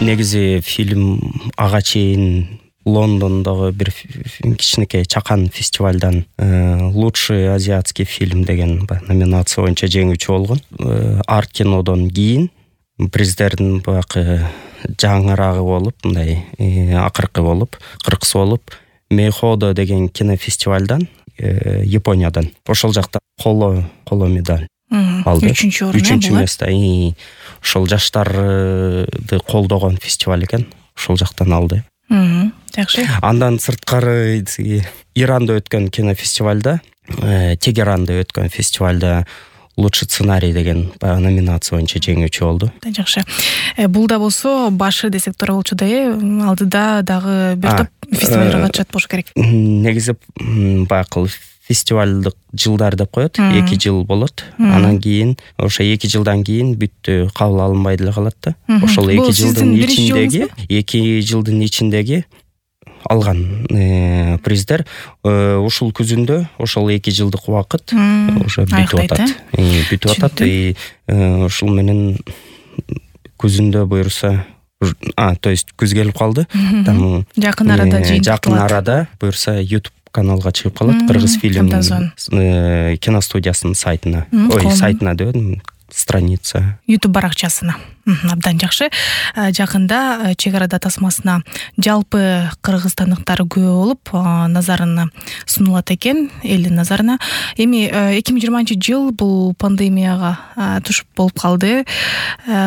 негизи фильм ага чейин Лондондогу бир кичинекей чакан фестивалдан лучший азиатский фильм деген номинация боюнча жеңүүчү болгон. Арт кинодон кийин приздердин баягы жаңырагы болуп, мындай акыркы болуп, кыркысы болуп Мейходо деген кинофестивалдан Япониядан ошол жакта коло медаль алды. 3-чү место. Ошол жаштарды колдогон фестиваль экен. Ошол жактан алды. Жакшы. Андан сырткары Иранда өткөн кинофестивалда, Тегеранда өткөн фестивалда лучший сценарий деген номинация боюнча жеңүүчү болду. Жакшы. Бул да болсо башы десек туура болчу да, алдыда дагы бир топ фестивалга катышат болуш керек. Негизи баягы фестивалдык жылдар деп коет. 2 жыл болот. Анан кийин ошо 2 жылдан кийин бүттү, кабыл алынбай деле калат да. Ошол 2 жылдын ичиндеги алган приздер ушул күзүндө ошол 2 жылдык убакыт уже бүтүп атат. Ушул менен күзүндө буюрса, то есть күз келип калды. Жакын арада буюрса YouTube каналга чыгып калат. Кыргыз фильм киностудиясынын сайтына. Сайтына дебедим, страница. YouTube баракчасына. Абдан жакшы. Жакында чек арада тасмасына жалпы кыргызстандыктар көп болуп, назарына сунулат экен, элдин назарына. Эми 2020-жыл бул пандемияга туш болуп калды.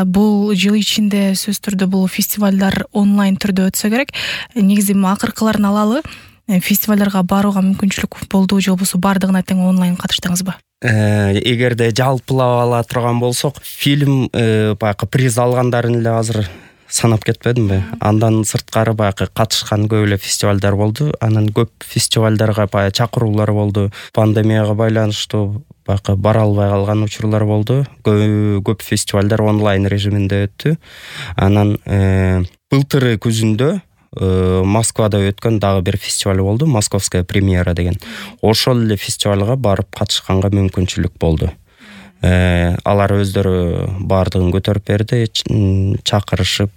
Бул жыл ичинде сөзсүз түрдө бул фестивалдар онлайн түрдө өтсө керек. Негизи акыркыларын алалы. Фестивалдарга барууга мүмкүнчүлүк болду же болбосо бардыгына тең онлайн катыштыңызбы? Эгерде жалпылап ала турган болсок, фильм баягы приз алгандарын эле азыр санап кетпедимби? Андан сырткары баягы катышкан көп эле фестивалдар болду. Анан көп фестивалдарга баягы чакыруулар болду. Пандемияга байланыштуу баягы бара албай калган учурлар болду. Көп фестивалдар онлайн режиминде өттү. Анан былтыры күзүндө Москвада өткөн дагы бир фестиваль болду, Московская премьера деген. Ошол эле фестивалга барып катышканга мүмкүнчүлүк болду. Алар өздөрү бардыгын көтөрүп берди, чакырышып,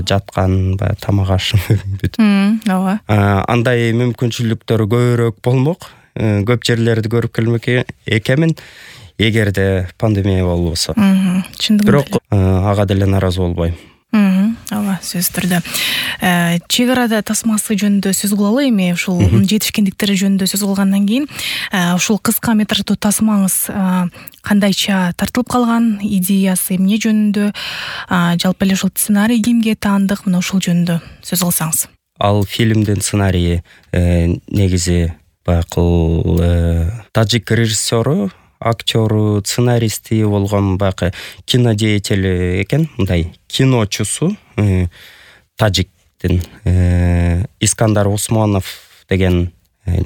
жаткан, тамак ашып бүт. Ооба. Андай мүмкүнчүлүктөр көбүрөөк болмок. Көп жерлерди көрүп келмек экенмин, эгерде пандемия болбосо. Бирок ага деле наразы болбойм. Ооба, сөзсүз түрдө. Чек арада тасмасы жөнүндө сөз кылалы. Эми ушул жетишкендиктери жөнүндө сөз кылгандан кийин, ушул кыска метраждуу тасмаңыз кандайча тартылып калган, идеясы эмне жөнүндө, жалпы эле ушул сценарий кимге таандык, мына ушул жөнүндө сөз кылсаңыз. Ал фильмдин сценарийи негизи баягы тажик режиссеру, актёру, сценаристи болгон баягы кинодеятели экен, мындай киночусу тажиктин Искандар Усмонов деген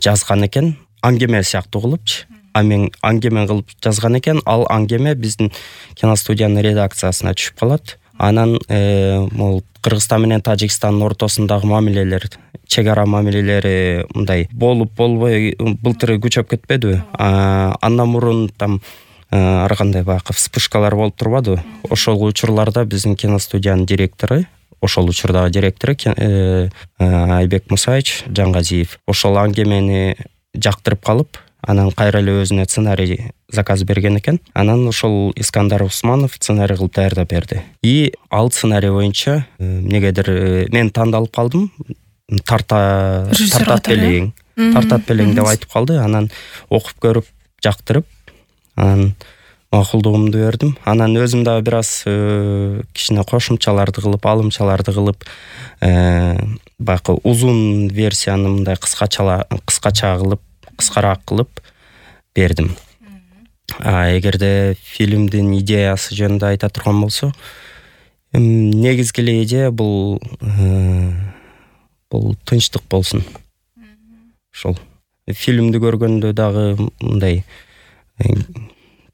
жазган экен. Аңгеме сыяктуу кылыпчы. Аңгеме кылып жазган экен. Ал аңгеме биздин киностудиянын редакциясына түшүп калат. Анан могул Кыргызстан менен Тажикстандын ортосундагы мамилелер, чек ара мамилелери мындай болбой былтыры күчөп кетпедиби? Андан мурун ар кандай баягы вспышкалар болуп турбадыбы? Ошол учурларда биздин киностудиянын директору, ошол учурдагы директору Айбек Мусаевич Жангазиев ошол аңгемени жактырып калып, анан кайра эле өзүнө сценарий заказ берген экен. Анан ошол Искандар Усмонов сценарий кылып даярдап берди. И ал сценарий боюнча эмнегедир мен тандалып калдым. Тартат белең деп айтып калды. Анан окуп көрүп, жактырып, анан макулдугумду бердим. Анан өзүм дагы бир аз кичине кошумчаларды кылып, алымчаларды кылып, баягы узун версияны мындай кыскача кылып, кыскараак кылып бердим. Эгерде фильмдин идеясы жөнүндө айта турган болсо, негизги эле идея бул тынчтык болсун. Ошол фильмди көргөндө дагы мындай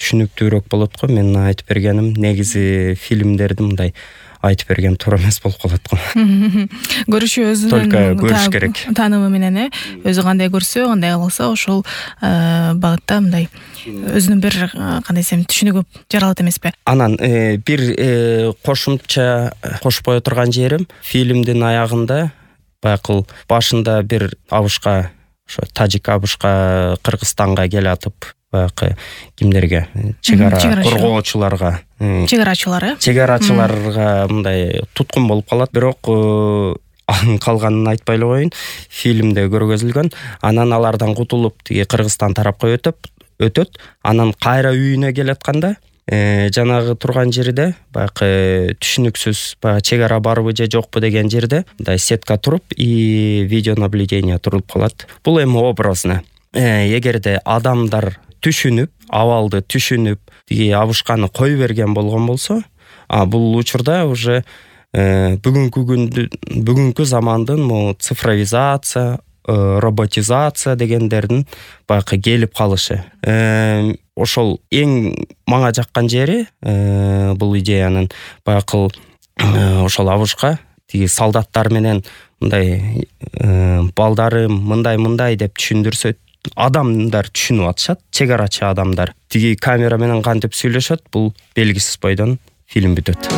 түшүнүктүүрөөк болот го. Мен айтып бергеним негизи фильмдерди мындай айтып берген туура эмес болуп калат го. Көрүшү өзүнүн только көрүш керек. Таанымы менен өзү кандай көрсө, кандай кылса ошол багытта мындай өзүнүн бир кандай десем түшүнүгү жаралат эмеспи? Анан бир кошумча кошпой отурган жерим, фильмдин аягында баягы башында бир абышка, ошо тажик абышка Кыргызстанга келатып, баягы кимдерге, чек ара коргоочуларга, чек-арачыларга мындай туткун болуп калат. Бирок калганын айтпай эле коеюн, фильмде көргөзүлгөн. Анан алардан кутулуп тиги Кыргызстан тарапка өтөт. Анан кайра үйүнө келатканда жанагы турган жерде баягы түшүнүксүз баягы чек ара барбы же жокпу деген жерде мындай сетка туруп и видеонаблюдение турулуп калат. Бул эми образно. Эгерде адамдар түшүнүп, абалды түшүнүп, тиги абышканы кой берген болгон болсо, бул учурда уже бүгүнкү замандын могу цифровизация, роботизация дегендердин баягы келип калышы. Ошол эң мага жаккан жери бул идеянын баягы ошол абышка тиги солдаттар менен мындай балдарым мындай деп түшүндүрсө, адамдар түшүнүп атышат, чек арачы адамдар. Тиги камера менен кантип сүйлөшөт, бул белгисиз бойдон фильм бүтөт.